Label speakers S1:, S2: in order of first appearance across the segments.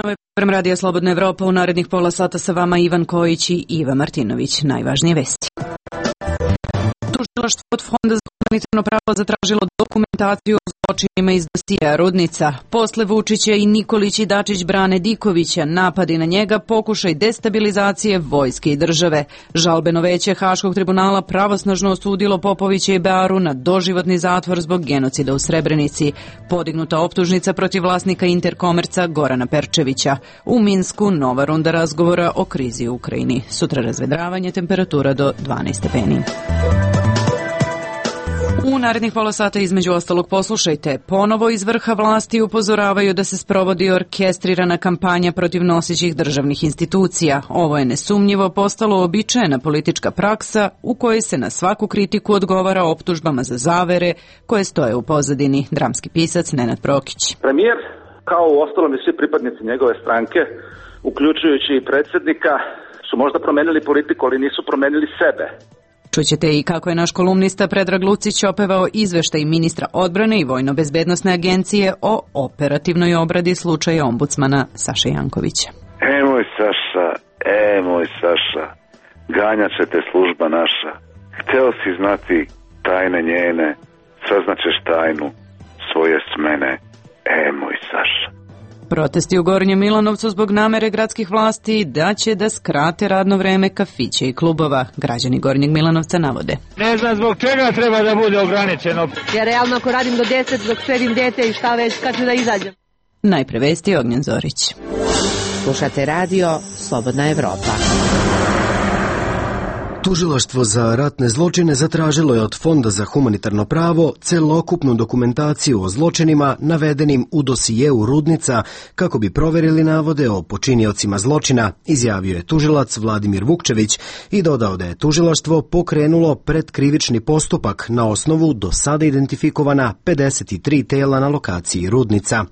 S1: Ovo je program Radija Slobodna Evropa. U narednih pola sata sa vama Ivan Kojić i Iva Martinović. Najvažnije vesti. Tužilaštvo od Fonda za humanitarno pravo zatražilo dokumentaciju o zločinima iz dosijea Rudnica. Posle Vučića i Nikolić i Dačić brane Dikovića, napadi na njega, pokušaj destabilizacije vojske i države. Žalbeno veće Haškog tribunala pravosnažno osudilo Popovića i Bearu na doživotni zatvor zbog genocida u Srebrenici. Podignuta optužnica protiv vlasnika Interkomerca Gorana Perčevića. U Minsku nova runda razgovora o krizi u Ukrajini. Sutra razvedravanje, temperatura do 12 stepeni. U narednih pola sata između ostalog poslušajte. Ponovo iz vrha vlasti upozoravaju da se sprovodi orkestrirana kampanja protiv nosećih državnih institucija. Ovo je nesumnjivo postalo uobičajena politička praksa u kojoj se na svaku kritiku odgovara optužbama za zavere koje stoje u pozadini. Dramski pisac Nenad Prokić.
S2: Premijer, kao u ostalom i svi pripadnici njegove stranke, uključujući i predsjednika, su možda promenili politiku, ali nisu promenili sebe.
S1: Čućete i kako je naš kolumnista Predrag Lucić opevao izveštaj ministra odbrane i Vojno-bezbednosne agencije o operativnoj obradi slučaja ombudsmana Saše Jankovića.
S3: Moj Saša, ganjat će te služba naša. Hteo si znati tajne njene, saznaćeš tajnu svoje smene. Moj Saša.
S1: Protesti u Gornjem Milanovcu zbog namere gradskih vlasti da će da skrate radno vreme kafića i klubova. Građani Gornjeg Milanovca navode.
S4: Ne znam zbog čega treba da bude ograničeno.
S5: Ja realno ako radim do 10 dok sredim dete i šta već kad ću da izađem.
S1: Najpre vesti, Ognjen Zorić.
S6: Slušate radio Slobodna Evropa.
S7: Tužilaštvo za ratne zločine zatražilo je od Fonda za humanitarno pravo celokupnu dokumentaciju o zločinima navedenim u dosijeu Rudnica kako bi proverili navode o počiniocima zločina, izjavio je tužilac Vladimir Vukčević i dodao da je tužilaštvo pokrenulo predkrivični postupak na osnovu do sada identifikovana 53 tela na lokaciji Rudnica.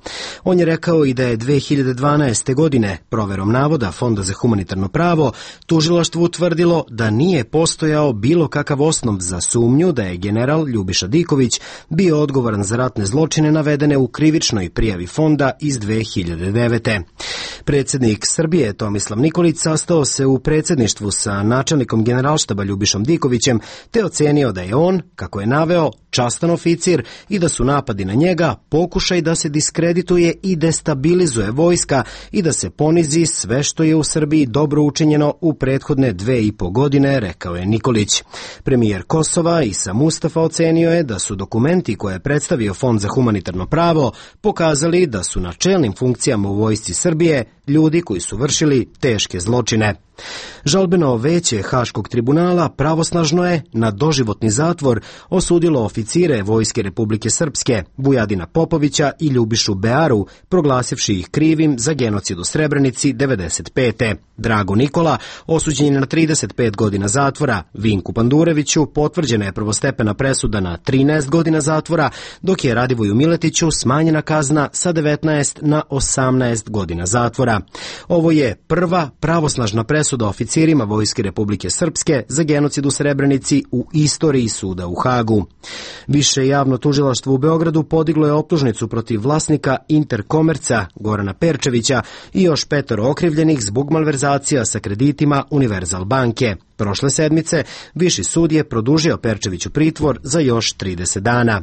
S7: On je rekao i da je 2012. godine proverom navoda Fonda za humanitarno pravo tužilaštvo utvrdilo da nije postojao bilo kakav osnov za sumnju da je general Ljubiša Diković bio odgovoran za ratne zločine navedene u krivičnoj prijavi fonda iz 2009. Predsjednik Srbije Tomislav Nikolić sastao se u predsjedništvu sa načelnikom generalštaba Ljubišom Dikovićem te ocenio da je on, kako je naveo, častan oficir i da su napadi na njega pokušaj da se diskredituje i destabilizuje vojska i da se ponizi sve što je u Srbiji dobro učinjeno u prethodne 2,5 godine, rekao je Nikolić. Premijer Kosova Isa Mustafa ocenio je da su dokumenti koje je predstavio Fond za humanitarno pravo pokazali da su na čelnim funkcijama u vojsci Srbije ljudi koji su vršili teške zločine. Žalbeno veće Haškog tribunala pravosnažno je na doživotni zatvor osudilo oficire Vojske Republike Srpske Vujadina Popovića i Ljubišu Bearu, proglasivši ih krivim za genocid u Srebrenici 1995. Drago Nikola osuđen je na 35 godina zatvora, Vinku Pandureviću potvrđena je prvostepena presuda na 13 godina zatvora, dok je Radivoju Miletiću smanjena kazna sa 19 na 18 godina zatvora. Ovo je prva pravosnažna presuda oficirima Vojske Republike Srpske za genocid u Srebrenici u istoriji suda u Hagu. Više javno tužilaštvo u Beogradu podiglo je optužnicu protiv vlasnika Interkomerca Gorana Perčevića i još 5 okrivljenih zbog malverzacija sa kreditima Univerzal banke. Prošle sedmice Viši sud je produžio Perčeviću pritvor za još 30 dana.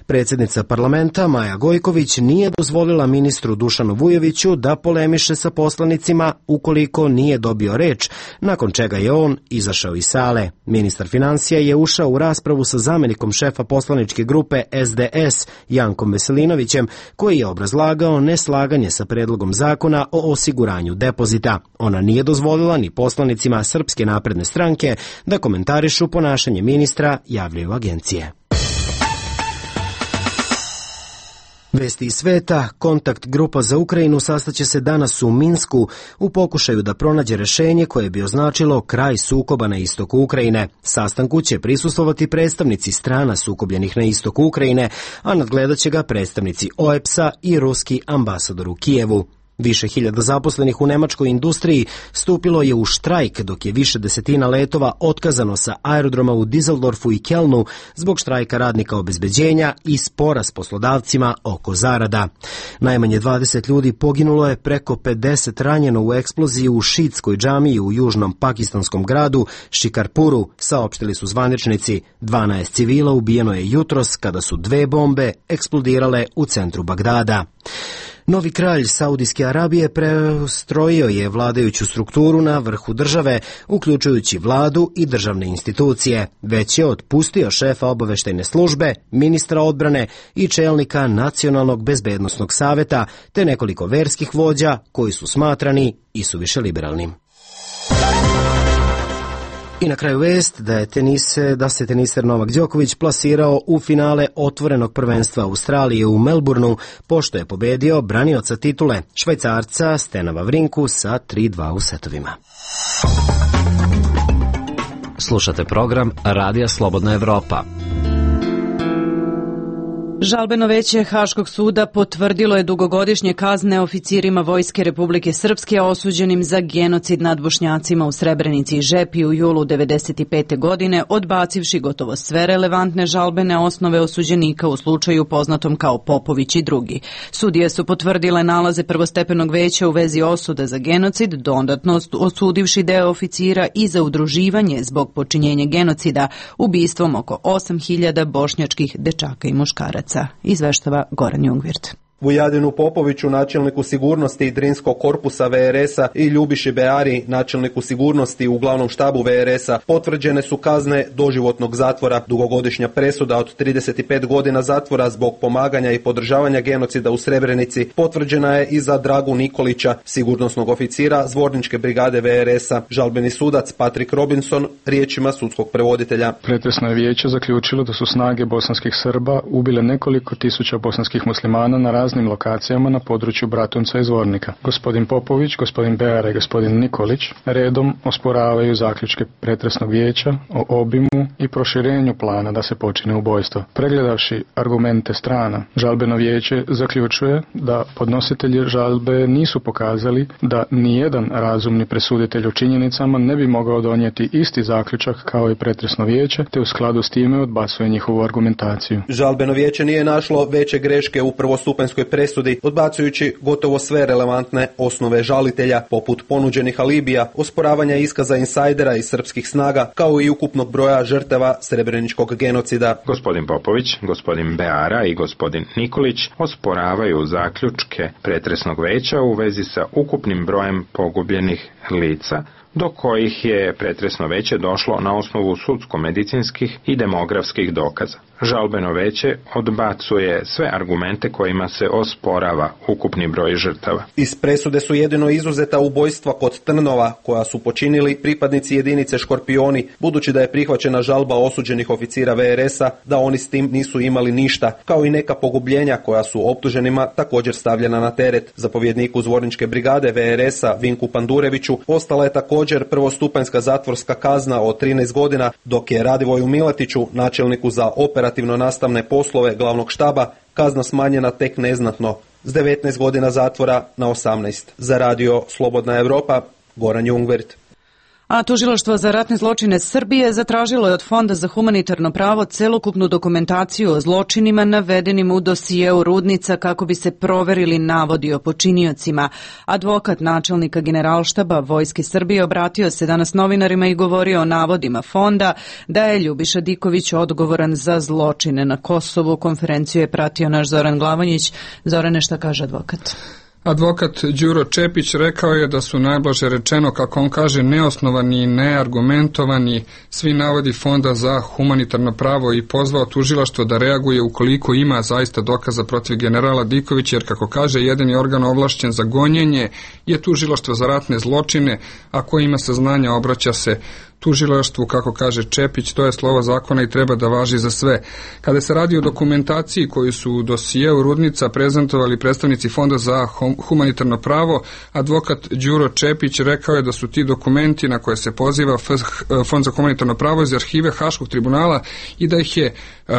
S7: Predsjednica parlamenta Maja Gojković nije dozvolila ministru Dušanu Vujoviću da polemiše sa poslanicima ukoliko nije dobio reč, nakon čega je on izašao iz sale. Ministar finansija je ušao u raspravu sa zamjenikom šefa poslaničke grupe SDS Jankom Veselinovićem, koji je obrazlagao neslaganje sa predlogom zakona o osiguranju depozita. Ona nije dozvolila ni poslanicima Srpske napredne stranke da komentarišu ponašanje ministra, javljaju agencije. Vesti iz sveta, kontakt grupa za Ukrajinu sastaće se danas u Minsku u pokušaju da pronađe rešenje koje bi označilo kraj sukoba na istoku Ukrajine. Sastanku će prisustvovati predstavnici strana sukobljenih na istoku Ukrajine, a nadgledat će ga predstavnici OEPS-a i ruski ambasador u Kijevu. Više hiljada zaposlenih u nemačkoj industriji stupilo je u štrajk, dok je više desetina letova otkazano sa aerodroma u Düsseldorfu i Kelnu zbog štrajka radnika obezbeđenja i spora s poslodavcima oko zarada. Najmanje 20 ljudi poginulo je, preko 50 ranjeno u eksploziji u šiitskoj džamiji u južnom pakistanskom gradu Shikarpuru, saopštili su zvaničnici. 12 civila ubijeno je jutros kada su 2 bombe eksplodirale u centru Bagdada. Novi kralj Saudijske Arabije prestrojio je vladajuću strukturu na vrhu države, uključujući vladu i državne institucije. Već je otpustio šefa obaveštajne službe, ministra odbrane i čelnika Nacionalnog bezbednosnog saveta, te nekoliko verskih vođa koji su smatrani isuviše liberalnim. I na kraju vest da se teniser Novak Đoković plasirao u finale otvorenog prvenstva Australije u Melbourneu, pošto je pobedio branioca titule, Švajcarca Stena Vavrinku sa 3:2 u setovima.
S8: Slušate program Radija Slobodna Evropa.
S1: Žalbeno veće Haškog suda potvrdilo je dugogodišnje kazne oficirima Vojske Republike Srpske osuđenim za genocid nad Bošnjacima u Srebrenici i Žepi u julu 1995. godine, odbacivši gotovo sve relevantne žalbene osnove osuđenika u slučaju poznatom kao Popović i drugi. Sudije su potvrdile nalaze prvostepenog veća u vezi osude za genocid, dodatno osudivši deo oficira i za udruživanje zbog počinjenja genocida ubistvom oko 8.000 bošnjačkih dečaka i muškaraca. Izveštava Goran Jungvirt.
S9: Vujadinu Popoviću, načelniku sigurnosti Drinskog korpusa VRS-a, i Ljubiši Beari, načelniku sigurnosti u glavnom štabu VRS-a, potvrđene su kazne doživotnog zatvora. Dugogodišnja presuda od 35 godina zatvora zbog pomaganja i podržavanja genocida u Srebrenici potvrđena je i za Dragu Nikolića, sigurnosnog oficira Zvorničke brigade VRS-a. Žalbeni sudac Patrick Robinson riječima sudskog prevoditelja.
S10: Pretresno je vijeće zaključilo da su snage bosanskih Srba ubile nekoliko tisuća bosanskih muslimana na raznim lokacijama na području Bratunca i Zvornika. Gospodin Popović, gospodin Beara i gospodin Nikolić redom osporavaju zaključke pretresnog vijeća o obimu i proširenju plana da se počine ubojstvo. Pregledavši argumente strana, žalbeno vijeće zaključuje da podnositelji žalbe nisu pokazali da nijedan razumni presuditelj u činjenicama ne bi mogao donijeti isti zaključak kao i pretresno vijeće, te u skladu s time odbacuje njihovu argumentaciju.
S9: Žalbeno vijeće nije našlo veće greške u prvostupanjskoj presudi, odbacujući gotovo sve relevantne osnove žalitelja, poput ponuđenih alibija, osporavanja iskaza insajdera iz srpskih snaga, kao i ukupnog broja žrtava srebreničkog genocida.
S11: Gospodin Popović, gospodin Beara i gospodin Nikolić osporavaju zaključke pretresnog veća u vezi sa ukupnim brojem pogubljenih lica, do kojih je pretresno veće došlo na osnovu sudsko-medicinskih i demografskih dokaza. Žalbeno veće odbacuje sve argumente kojima se osporava ukupni broj žrtava.
S9: Iz presude su jedino izuzeta ubojstva kod Trnova, koja su počinili pripadnici jedinice Škorpioni, budući da je prihvaćena žalba osuđenih oficira VRS-a da oni s tim nisu imali ništa, kao i neka pogubljenja koja su optuženima također stavljena na teret. Zapovjedniku Zvorničke brigade VRS-a Vinku Pandureviću ostala je također prvostupanjska zatvorska kazna od 13 godina, dok je Radivoju Miletiću, načelniku za operativno nastavne poslove glavnog štaba, kazna smanjena tek neznatno, s 19 godina zatvora na 18. Za radio Slobodna Evropa, Goran Jungvirt.
S1: A Tužilaštvo za ratne zločine Srbije zatražilo je od Fonda za humanitarno pravo celokupnu dokumentaciju o zločinima navedenim u dosijeu Rudnica kako bi se proverili navodi o počiniocima. Advokat načelnika Generalštaba Vojske Srbije obratio se danas novinarima i govorio o navodima Fonda da je Ljubiša Diković odgovoran za zločine na Kosovu. Konferenciju je pratio naš Zoran Glavonjić. Zorane, šta kaže advokat?
S12: Advokat Đuro Čepić rekao je da su najblaže rečeno, kako on kaže, neosnovani i neargumentovani svi navodi Fonda za humanitarno pravo i pozvao tužilaštvo da reaguje ukoliko ima zaista dokaza protiv generala Dikovića, jer kako kaže, jedini organ ovlašćen za gonjenje je Tužilaštvo za ratne zločine, a ko ima saznanja obraća se tužilaštvu, kako kaže Čepić, to je slovo zakona i treba da važi za sve. Kada se radi o dokumentaciji koju su u dosijeu Rudnica prezentovali predstavnici Fonda za humanitarno pravo, advokat Đuro Čepić rekao je da su ti dokumenti na koje se poziva Fond za humanitarno pravo iz arhive Haškog tribunala i da ih je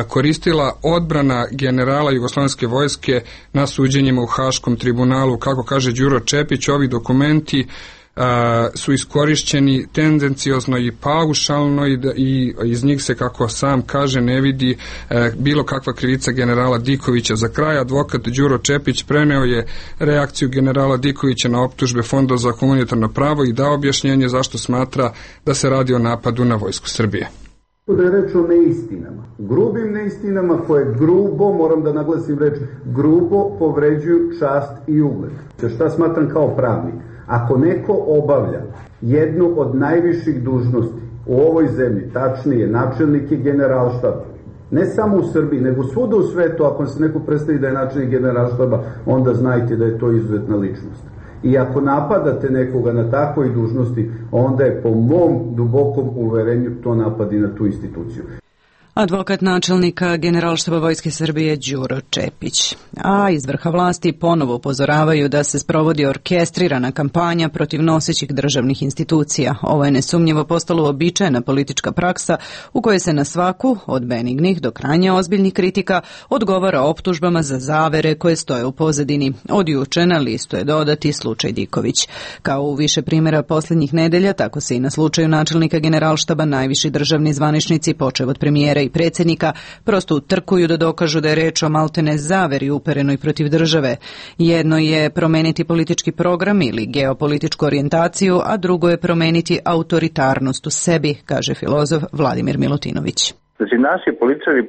S12: koristila odbrana generala Jugoslovenske vojske na suđenjima u Haškom tribunalu. Kako kaže Đuro Čepić, ovi dokumenti su iskorišćeni tendenciozno i paušalno i iz njih se, kako sam kaže, ne vidi bilo kakva krivica generala Dikovića. Za kraj, advokat Đuro Čepić preneo je reakciju generala Dikovića na optužbe Fonda za humanitarno pravo i dao objašnjenje zašto smatra da se radi o napadu na vojsku Srbije.
S13: Da je reč o neistinama, grubim neistinama koje grubo, moram da naglasim reč, grubo povređuju čast i ugled. Šta smatram kao pravnik? Ako neko obavlja jednu od najviših dužnosti u ovoj zemlji, tačnije načelnik je generalštaba, ne samo u Srbiji, nego svuda u svetu, ako se neko predstavi da je načelnik generalštaba, onda znajte da je to izuzetna ličnost. I ako napadate nekoga na takvoj dužnosti, onda je po mom dubokom uverenju to napad i na tu instituciju.
S1: Advokat načelnika Generalštaba Vojske Srbije Đuro Čepić. A iz vrha vlasti ponovo upozoravaju da se sprovodi orkestrirana kampanja protiv nosećih državnih institucija. Ovo je nesumnjivo postalo uobičajena politička praksa u kojoj se na svaku, od benignih do krajnje ozbiljnih kritika, odgovara optužbama za zavere koje stoje u pozadini. Od juče na listu je dodati slučaj Diković. Kao u više primjera posljednjih nedelja, tako se i na slučaju načelnika Generalštaba najviši državni zvaničnici, počev od premijera i predsjednika, prosto utrkuju da dokažu da je reč o maltene zaveri uperenoj protiv države. Jedno je promeniti politički program ili geopolitičku orijentaciju, a drugo je promeniti autoritarnost u sebi, kaže filozof Vladimir Milutinović.
S14: Znači, naši političari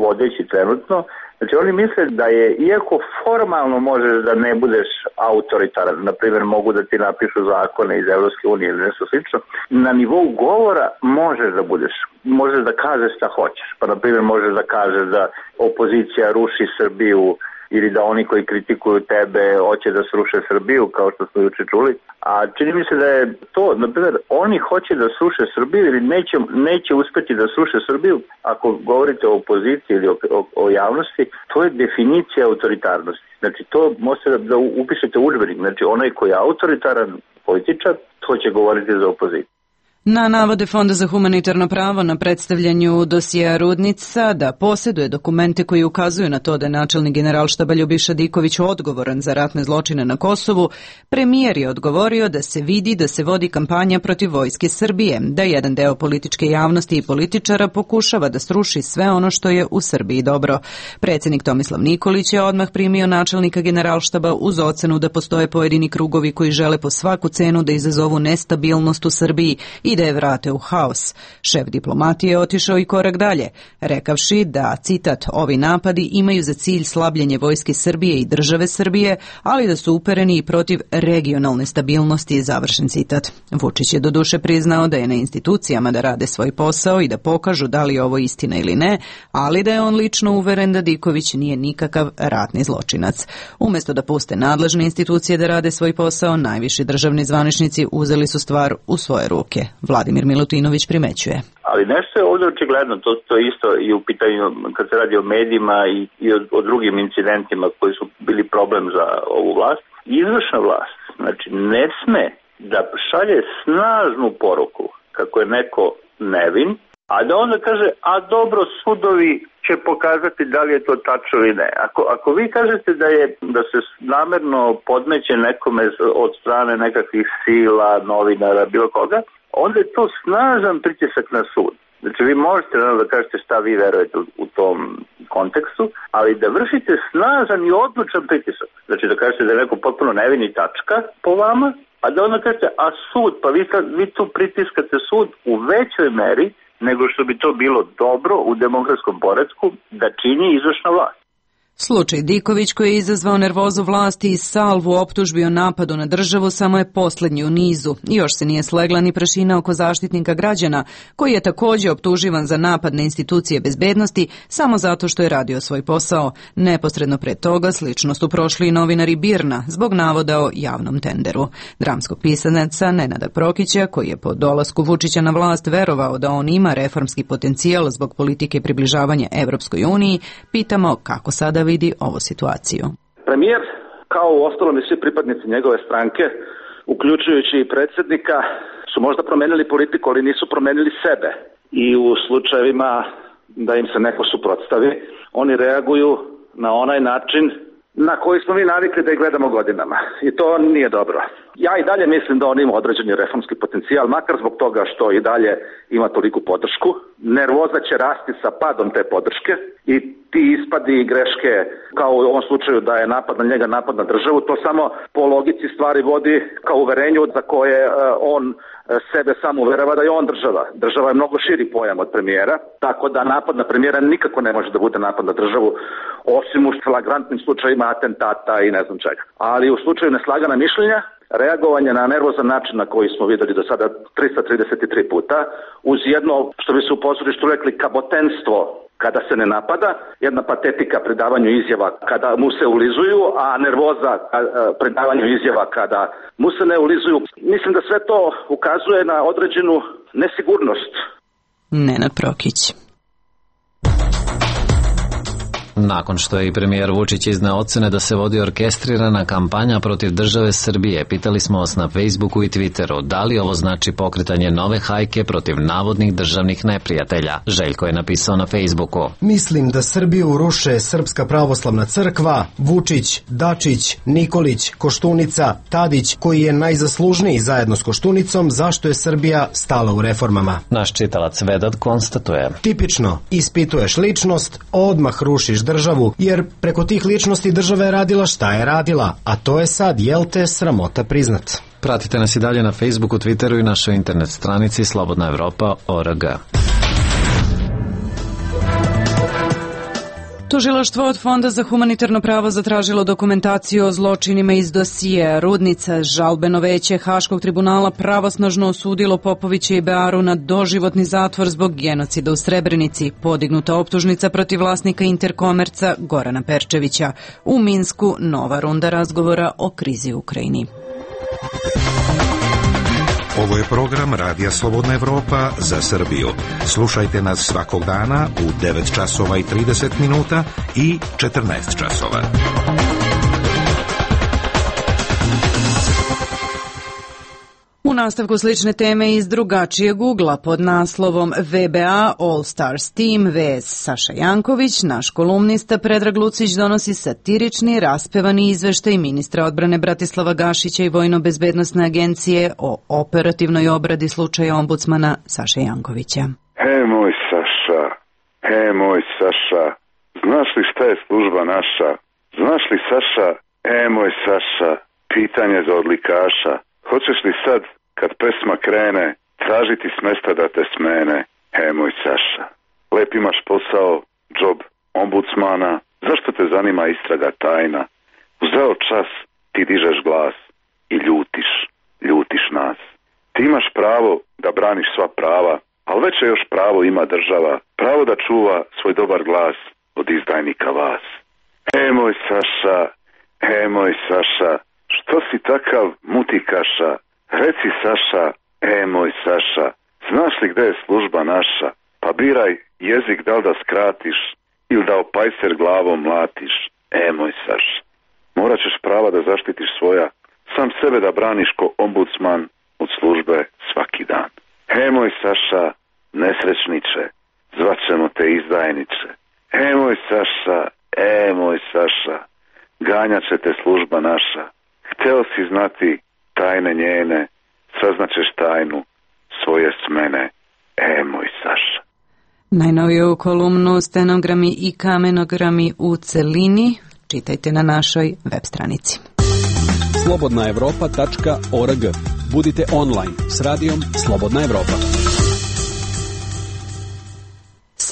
S14: vodeći trenutno, znači oni misle da je, iako formalno možeš da ne budeš autoritaran, na primjer mogu da ti napišu zakone iz Evropske unije ili nešto slično, na nivou govora možeš da kažeš šta hoćeš. Pa na primjer možeš da kažeš da opozicija ruši Srbiju ili da oni koji kritikuju tebe hoće da sruše Srbiju, kao što smo juče čuli. A čini mi se da je to, na primjer, oni hoće da sruše Srbiju ili neće uspeti da sruše Srbiju. Ako govorite o opoziciji ili o javnosti, to je definicija autoritarnosti. Znači, to možete da upišete u udžbenik. Znači, onaj koji je autoritaran političar, to će govoriti za opoziciju.
S1: Na navode Fonda za humanitarno pravo na predstavljanju dosijea Rudnica da posjeduje dokumente koji ukazuju na to da je načelnik Generalštaba Ljubiša Diković odgovoran za ratne zločine na Kosovu, premijer je odgovorio da se vidi da se vodi kampanja protiv vojske Srbije, da jedan deo političke javnosti i političara pokušava da sruši sve ono što je u Srbiji dobro. Predsjednik Tomislav Nikolić je odmah primio načelnika Generalštaba uz ocenu da postoje pojedini krugovi koji žele po svaku cenu da izazovu nestabilnost u Srbiji i da je vrate u haos. Šef diplomatije je otišao i korak dalje, rekavši da, citat, ovi napadi imaju za cilj slabljenje vojske Srbije i države Srbije, ali da su upereni i protiv regionalne stabilnosti, završen citat. Vučić je doduše priznao da je na institucijama da rade svoj posao i da pokažu da li je ovo istina ili ne, ali da je on lično uveren da Diković nije nikakav ratni zločinac. Umjesto da puste nadležne institucije da rade svoj posao, najviši državni zvaničnici uzeli su stvar u svoje ruke. Vladimir Milutinović primećuje.
S14: Ali nešto je ovdje očigledno, to isto i u pitanju kad se radi o medijima i o drugim incidentima koji su bili problem za ovu vlast. Izvršna vlast, znači ne sme da šalje snažnu poruku kako je neko nevin, a da onda kaže, a dobro, sudovi će pokazati da li je to tačno ili ne. Ako vi kažete da se namerno podmeće nekome od strane nekakvih sila, novinara, bilo koga, onda je to snažan pritisak na sud. Znači vi možete da kažete šta vi verujete u tom kontekstu, ali da vršite snažan i odlučan pritisak. Znači da kažete da je neko potpuno nevini tačka po vama, a da onda kažete, a sud, pa vi tu pritiskate sud u većoj meri nego što bi to bilo dobro u demokratskom poretku da čini izvršna vlast.
S1: Slučaj Diković, koji je izazvao nervozu vlasti i salvu optužbi o napadu na državu, samo je posljednji u nizu. Još se nije slegla ni prašina oko Zaštitnika građana, koji je također optuživan za napad na institucije bezbednosti samo zato što je radio svoj posao. Neposredno pred toga slično su prošli i novinari BIRN-a zbog navoda o javnom tenderu. Dramskog pisaca Nenada Prokića, koji je po dolasku Vučića na vlast verovao da on ima reformski potencijal zbog politike približavanja Evropskoj uniji, pitamo kako sada vidi ovu situaciju.
S2: Premijer, kao u ostalom i svi pripadnici njegove stranke, uključujući i predsjednika, su možda promenili politiku, ali nisu promenili sebe. I u slučajevima da im se neko suprotstavi, oni reaguju na onaj način na koji smo mi navikli da ih gledamo godinama. I to nije dobro. Ja i dalje mislim da on ima određeni reformski potencijal, makar zbog toga što i dalje ima toliku podršku. Nervoza će rasti sa padom te podrške i ti ispadi i greške, kao u ovom slučaju da je napad na njega, napad na državu, to samo po logici stvari vodi kao uverenju za koje on sebe sam uverava da je on država. Država je mnogo širi pojam od premijera, tako da napad na premijera nikako ne može da bude napad na državu, osim u flagrantnim slučajima atentata i ne znam čega. Ali u slučaju neslagana mišljenja, reagovanje na nervozan način na koji smo videli do sada 333 puta, uz jedno, što bi se u pozorištu rekli, kabotenstvo kada se ne napada, jedna patetika pri davanju izjava kada mu se ulizuju, a nervoza pri davanju izjava kada mu se ne ulizuju. Mislim da sve to ukazuje na određenu nesigurnost.
S1: Nenad Prokić.
S8: Nakon što je i premijer Vučić izneo ocene da se vodi orkestrirana kampanja protiv države Srbije, pitali smo vas na Facebooku i Twitteru da li ovo znači pokretanje nove hajke protiv navodnih državnih neprijatelja. Željko je napisao na Facebooku:
S7: Mislim da Srbiju ruše Srpska pravoslavna crkva, Vučić, Dačić, Nikolić, Koštunica, Tadić, koji je najzaslužniji zajedno s Koštunicom zašto je Srbija stala u reformama.
S8: Naš čitalac Vedat konstatuje:
S7: Tipično, ispituješ ličnost, odmah rušiš državu, jer preko tih ličnosti država je radila šta je radila, a to je sad, jel te, sramota priznat.
S8: Pratite nas i dalje na Facebooku, Twitteru i našoj internet stranici slobodnaevropa.org.
S1: Tužilaštvo od Fonda za humanitarno pravo zatražilo dokumentaciju o zločinima iz dosije Rudnica. Žalbeno veće Haškog tribunala pravosnažno osudilo Popovića i Bearu na doživotni zatvor zbog genocida u Srebrenici. Podignuta optužnica protiv vlasnika Interkomerca Gorana Perčevića. U Minsku nova runda razgovora o krizi u Ukrajini.
S15: Ovo je program Radija Slobodna Evropa za Srbiju. Slušajte nas svakog dana u 9 časova i 30 minuta i 14 časova.
S1: U nastavku slične teme iz drugačijeg ugla pod naslovom VBA All Stars Team vs Saša Janković, naš kolumnista Predrag Lucić donosi satirični, raspevani izveštaj ministra odbrane Bratislava Gašića i Vojno-bezbednosne agencije o operativnoj obradi slučaja ombudsmana Saše Jankovića.
S3: Moj Saša, znaš li šta je služba naša? Znaš li, Saša, moj Saša, pitanje za odlikaša. Hoćeš li sad, kad pesma krene, tražiti s mesta da te smene? Moj Saša, lep imaš posao, džob ombudsmana, zašto te zanima istraga tajna? Uzeo čas, ti dižeš glas i ljutiš nas. Ti imaš pravo da braniš sva prava, ali veće još pravo ima država, pravo da čuva svoj dobar glas od izdajnika vas. Moj Saša, što si takav mutikaša? Reci, Saša, moj Saša, znaš li gde je služba naša? Pa biraj jezik da li da skratiš ili da opajser glavom mlatiš. Moj Saša, morat ćeš prava da zaštitiš svoja, sam sebe da braniš ko ombudsman od službe svaki dan. Moj Saša, nesrećniče, zvaćemo te izdajniče. Moj Saša, ganjat će te služba naša. Hteo si znati tajne njene, saznaćeš tajnu svoje smene. Moj Saša.
S1: Najnoviju kolumnu Stenogrami i kamenogrami u celini čitajte na našoj web stranici.
S16: slobodnaevropa.org. Budite online s radijom Slobodna Evropa.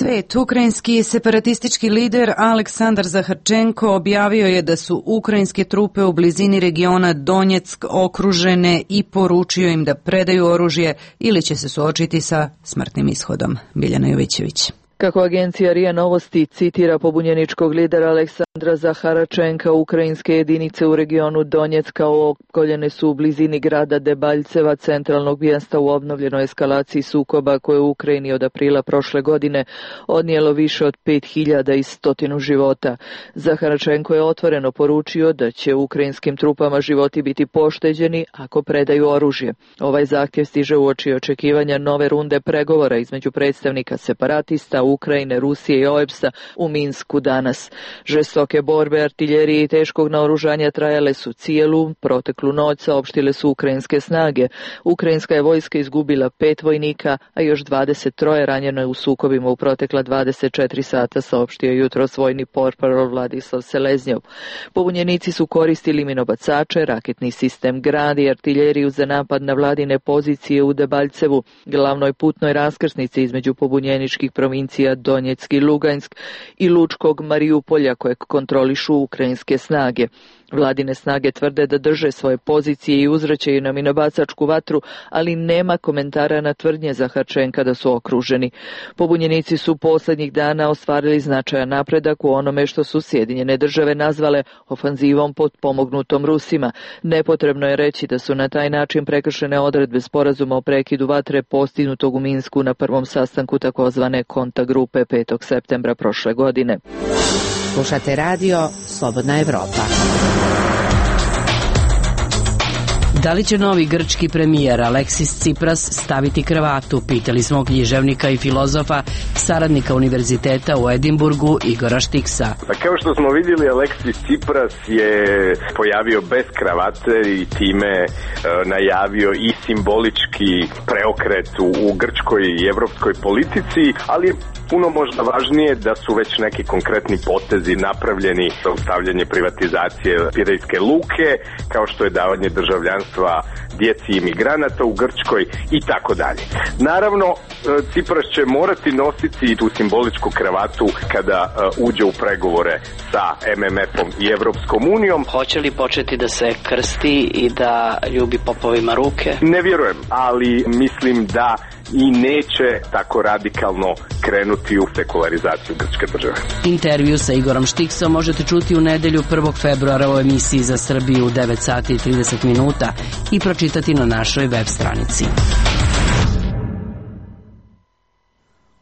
S1: Svet. Ukrajinski separatistički lider Aleksandar Zaharčenko objavio je da su ukrajinske trupe u blizini regiona Donjeck okružene i poručio im da predaju oružje ili će se suočiti sa smrtnim ishodom. Biljana Jovićević.
S17: Kako agencija RIA Novosti citira pobunjeničkog lidera Aleksandra Zaharčenka, ukrajinske jedinice u regionu Donjecka opkoljene su u blizini grada Debaljceva, centralnog mjesta u obnovljenoj eskalaciji sukoba koje u Ukrajini od aprila prošle godine odnijelo više od 5100 života. Zaharčenko je otvoreno poručio da će ukrajinskim trupama životi biti pošteđeni ako predaju oružje. Ovaj zahtjev stiže uoči očekivanja nove runde pregovora između predstavnika separatista Ukrajine, Rusije i OEBS-a u Minsku danas. Žestoke borbe artiljerije i teškog naoružanja trajale su cijelu proteklu noć, saopštile su ukrajinske snage. Ukrajinska je vojska izgubila 5 vojnika, a još 23 ranjeno je u sukobima u protekla 24 sata, saopštio jutros vojni portparol Vladislav Seleznjov. Pobunjenici su koristili minobacače, raketni sistem Grad i artiljeriju za napad na vladine pozicije u Debaljcevu, glavnoj putnoj raskrsnici između pobunjeničkih provincija Donjeck i Lugansk i lučkog Marijupolja kojeg kontrolišu ukrajinske snage. Vladine snage tvrde da drže svoje pozicije i uzvraćaju na minobacačku vatru, ali nema komentara na tvrdnje Zaharčenka da su okruženi. Pobunjenici su posljednjih dana ostvarili značajan napredak u onome što su Sjedinjene države nazvale ofanzivom potpomognutom Rusima. Nepotrebno je reći da su na taj način prekršene odredbe sporazuma o prekidu vatre postignutog u Minsku na prvom sastanku takozvane konta grupe 5. septembra prošle godine.
S6: Slušate radio Slobodna Evropa.
S18: Da li će novi grčki premijer Aleksis Tsipras staviti kravatu, pitali smo književnika i filozofa, saradnika univerziteta u Edinburgu Igora Štiksa.
S19: Pa kao što smo vidjeli, Aleksis Tsipras je pojavio bez kravate i time najavio i simbolički preokret u grčkoj i evropskoj politici, ali je puno možda važnije da su već neki konkretni potezi napravljeni za ustavljanje privatizacije Pirejske luke, kao što je davanje državljanstva djeci imigranata u Grčkoj i tako dalje. Naravno, Tsipras će morati nositi tu simboličku kravatu kada uđe u pregovore sa MMF-om i Evropskom unijom.
S18: Hoće li početi da se krsti i da ljubi popovima ruke?
S19: Ne vjerujem, ali mislim da i neće tako radikalno krenuti u sekularizaciju grčke države.
S18: Intervju sa Igorom Štiksom možete čuti u nedelju 1. februara u emisiji za Srbiju u 9 sati i 30 minuta i pročitati na našoj web stranici.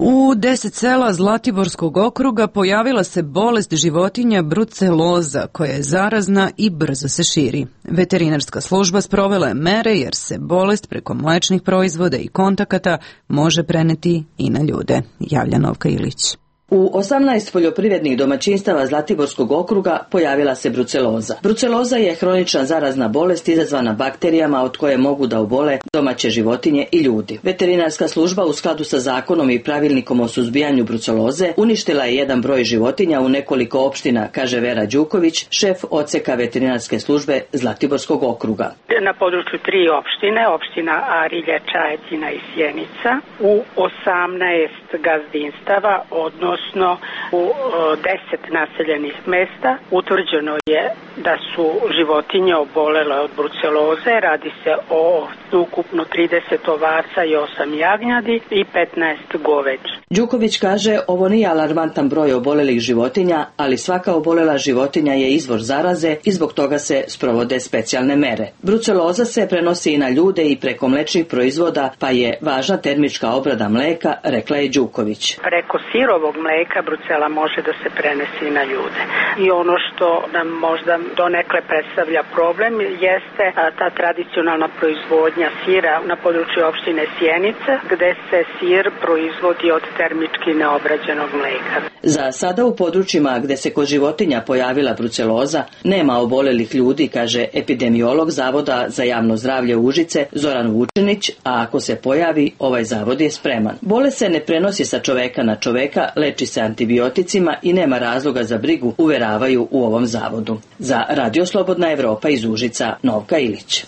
S1: U 10 sela Zlatiborskog okruga pojavila se bolest životinja bruceloza koja je zarazna i brzo se širi. Veterinarska služba sprovela je mere jer se bolest preko mlečnih proizvoda i kontakata može preneti i na ljude, javlja Novka Ilić.
S20: U 18 poljoprivrednih domaćinstava Zlatiborskog okruga pojavila se bruceloza. Bruceloza je hronična zarazna bolest izazvana bakterijama od koje mogu da obole domaće životinje i ljudi. Veterinarska služba u skladu sa zakonom i pravilnikom o suzbijanju bruceloze uništila je jedan broj životinja u nekoliko opština, kaže Vera Đuković, šef odseka veterinarske službe Zlatiborskog okruga.
S21: Na području 3 opštine, opština Arilje, Čajetina i Sjenica, u 18 gazdinstava, odnosno u 10 naseljenih mesta, utvrđeno je da su životinje obolele od bruceloze. Radi se o ukupno 30 ovaca i 8 jagnjadi i 15 goveđi.
S20: Đuković kaže, ovo nije alarmantan broj obolelih životinja, ali svaka obolela životinja je izvor zaraze i zbog toga se sprovode specijalne mere. Bruceloza se prenosi i na ljude i preko mlečnih proizvoda, pa je važna termička obrada mleka, rekla je Đuković.
S21: Preko sirovog mleka brucela može da se prenesi i na ljude. I ono što nam možda donekle predstavlja problem jeste ta tradicionalna proizvodnja sira na području opštine Sjenica, gde se sir proizvodi od termički neobrađenog mleka.
S20: Za sada u područjima gde se kod životinja pojavila bruceloza nema obolelih ljudi, kaže epidemiolog Zavoda za javno zdravlje Užice Zoran Vučinić, a ako se pojavi, ovaj zavod je spreman. Bolest se ne prenosi sa čoveka na čoveka, leči se antibioticima i nema razloga za brigu, uveravaju u ovom zavodu. Za Radio Slobodna Evropa iz Užica, Novka Ilić.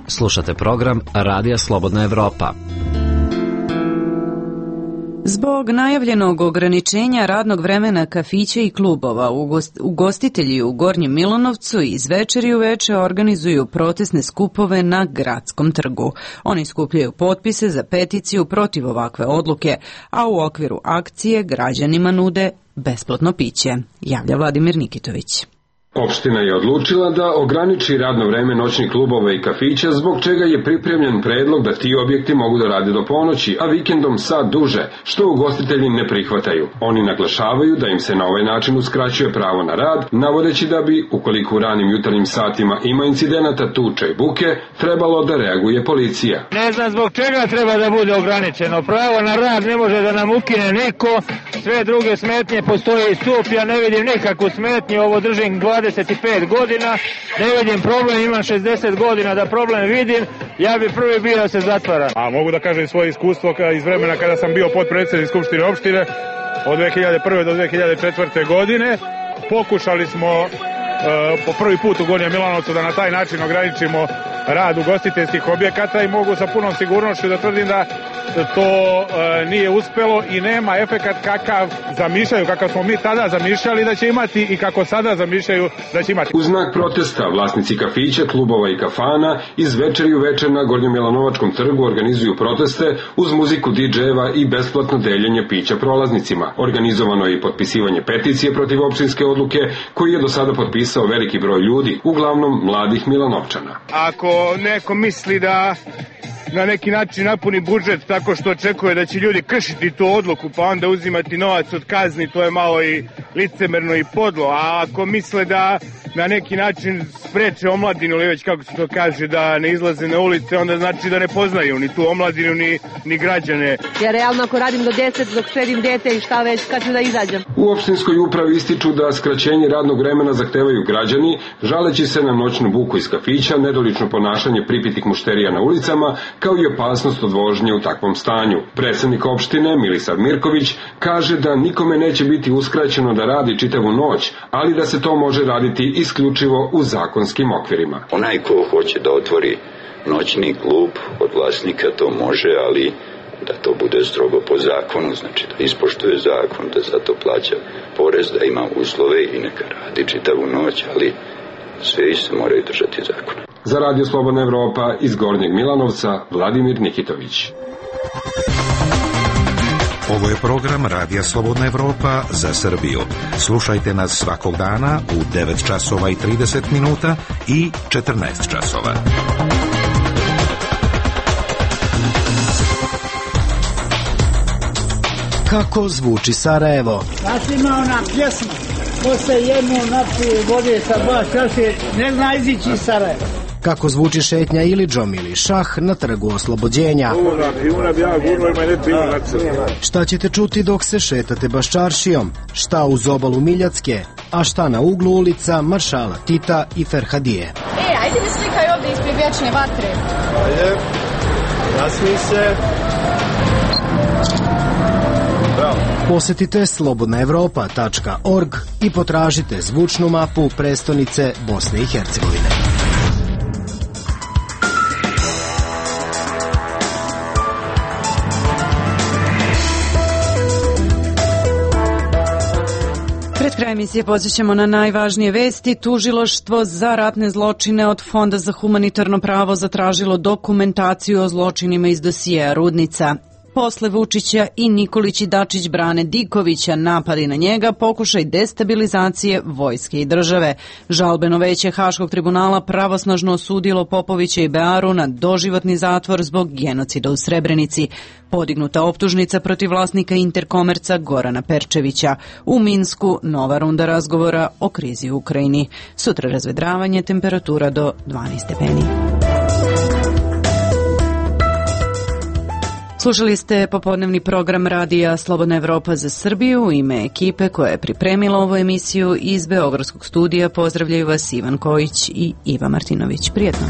S8: Slušate program Radija Slobodna Evropa.
S1: Zbog najavljenog ograničenja radnog vremena kafića i klubova, ugostitelji u Gornjem Milanovcu iz večeri u veče organizuju protestne skupove na Gradskom trgu. Oni skupljaju potpise za peticiju protiv ovakve odluke, a u okviru akcije građanima nude besplatno piće, javlja Vladimir Nikitović.
S4: Opština je odlučila da ograniči radno vreme noćnih klubova i kafića, zbog čega je pripremljen predlog da ti objekti mogu da rade do ponoći, a vikendom sad duže, što ugostitelji ne prihvataju. Oni naglašavaju da im se na ovaj način uskraćuje pravo na rad, navodeći da bi, ukoliko u ranim jutarnjim satima ima incidenata tuče i buke, trebalo da reaguje policija.
S22: Ne znam zbog čega treba da bude ograničeno. Pravo na rad ne može da nam ukine niko, sve druge smetnje postoje i stup, ja ne vidim nikakvu smetnju, ovo držim 25 godina, ne vidim problem, imam 60 godina da problem vidim, ja bi prvi bio da se zatvara.
S23: A mogu da kažem svoje iskustvo iz vremena kada sam bio potpredsjednik Skupštine opštine od 2001. do 2004. godine. Pokušali smo po prvi put u Gornjem Milanovcu da na taj način ograničimo rad ugostiteljskih objekata i mogu sa punom sigurnošću da tvrdim da to nije uspelo i nema efekat kakav zamišljaju, kakav smo mi tada zamišljali da će imati i kako sada zamišljaju da će imati.
S4: U znak protesta vlasnici kafića, klubova i kafana iz večeri u večer na Gornjem Milanovačkom trgu organizuju proteste uz muziku DJ-eva i besplatno deljenje pića prolaznicima. Organizovano je i potpisivanje peticije protiv opštinske odluke koju je do sada potpisao veliki broj ljudi, uglavnom mladih Milanovčana.
S22: Ako neko misli da na neki način napuni budžet tako što očekuje da će ljudi kršiti tu odluku pa onda uzimati novac od kazni, to je malo i licemerno i podlo, a ako misle da na neki način spreče omladinu ili već kako se to kaže da ne izlaze na ulice, onda znači da ne poznaju ni tu omladinu ni građane.
S5: Ja realno ako radim do 10 dok sredim dete i šta već kad ću da izađem.
S4: U opštinskoj upravi ističu da skraćenje radnog vremena zahtevaju građani, žaleći se na noćnu buku iz kafića, nedolično ponašanje pripitih mušterija na ulicama, kao i opasnost od vožnje u takvom stanju. Predsednik opštine Milisav Mirković kaže da nikome neće biti uskraćeno da radi čitavu noć, ali da se to može raditi isključivo u zakonskim okvirima.
S24: Onaj ko hoće da otvori noćni klub od vlasnika to može, ali da to bude strogo po zakonu, znači da ispoštuje zakon, da za to plaća porez, da ima uslove i neka radi čitavu noć, ali sve se moraju držati zakona.
S4: Za Radio Slobodna Evropa iz Gornjeg Milanovca, Vladimir Nikitović.
S15: Ovo je program Radija Slobodna Evropa za Srbiju. Slušajte nas svakog dana u 9 časova i 30 minuta i 14 časova.
S7: Kako zvuči Sarajevo?
S25: Znači ima ona pjesma, ko se jednu napije vode sa 2 čaše, ne zna izići iz Sarajeva.
S7: Kako zvuči šetnja Ilidžom ili šah na trgu Oslobođenja? Šta ćete čuti dok se šetate Baščaršijom? Šta uz obalu Miljacke? A šta na uglu ulica Maršala Tita i Ferhadije?
S26: Ajde mi slikaj ovdje ispred vječne vatre.
S27: Ajde, nasmij se.
S7: Posetite slobodnaevropa.org i potražite zvučnu mapu prestonice Bosne i Hercegovine.
S1: Pred kraj emisije podsjećamo na najvažnije vesti. Tužilaštvo za ratne zločine od Fonda za humanitarno pravo zatražilo dokumentaciju o zločinima iz dosijea Rudnica. Posle Vučića i Nikolić i Dačić brane Dikovića, napadi na njega, pokušaj destabilizacije vojske i države. Žalbeno veće Haškog tribunala pravosnažno osudilo Popovića i Bearu na doživotni zatvor zbog genocida u Srebrenici. Podignuta optužnica protiv vlasnika Interkomerca Gorana Perčevića. U Minsku nova runda razgovora o krizi u Ukrajini. Sutra razvedravanje, temperatura do 12 stepeni. Slušali ste popodnevni program Radija Slobodna Evropa za Srbiju. U ime ekipe koja je pripremila ovu emisiju iz Beogradskog studija pozdravljaju vas Ivan Kojić i Iva Martinović. Prijetno.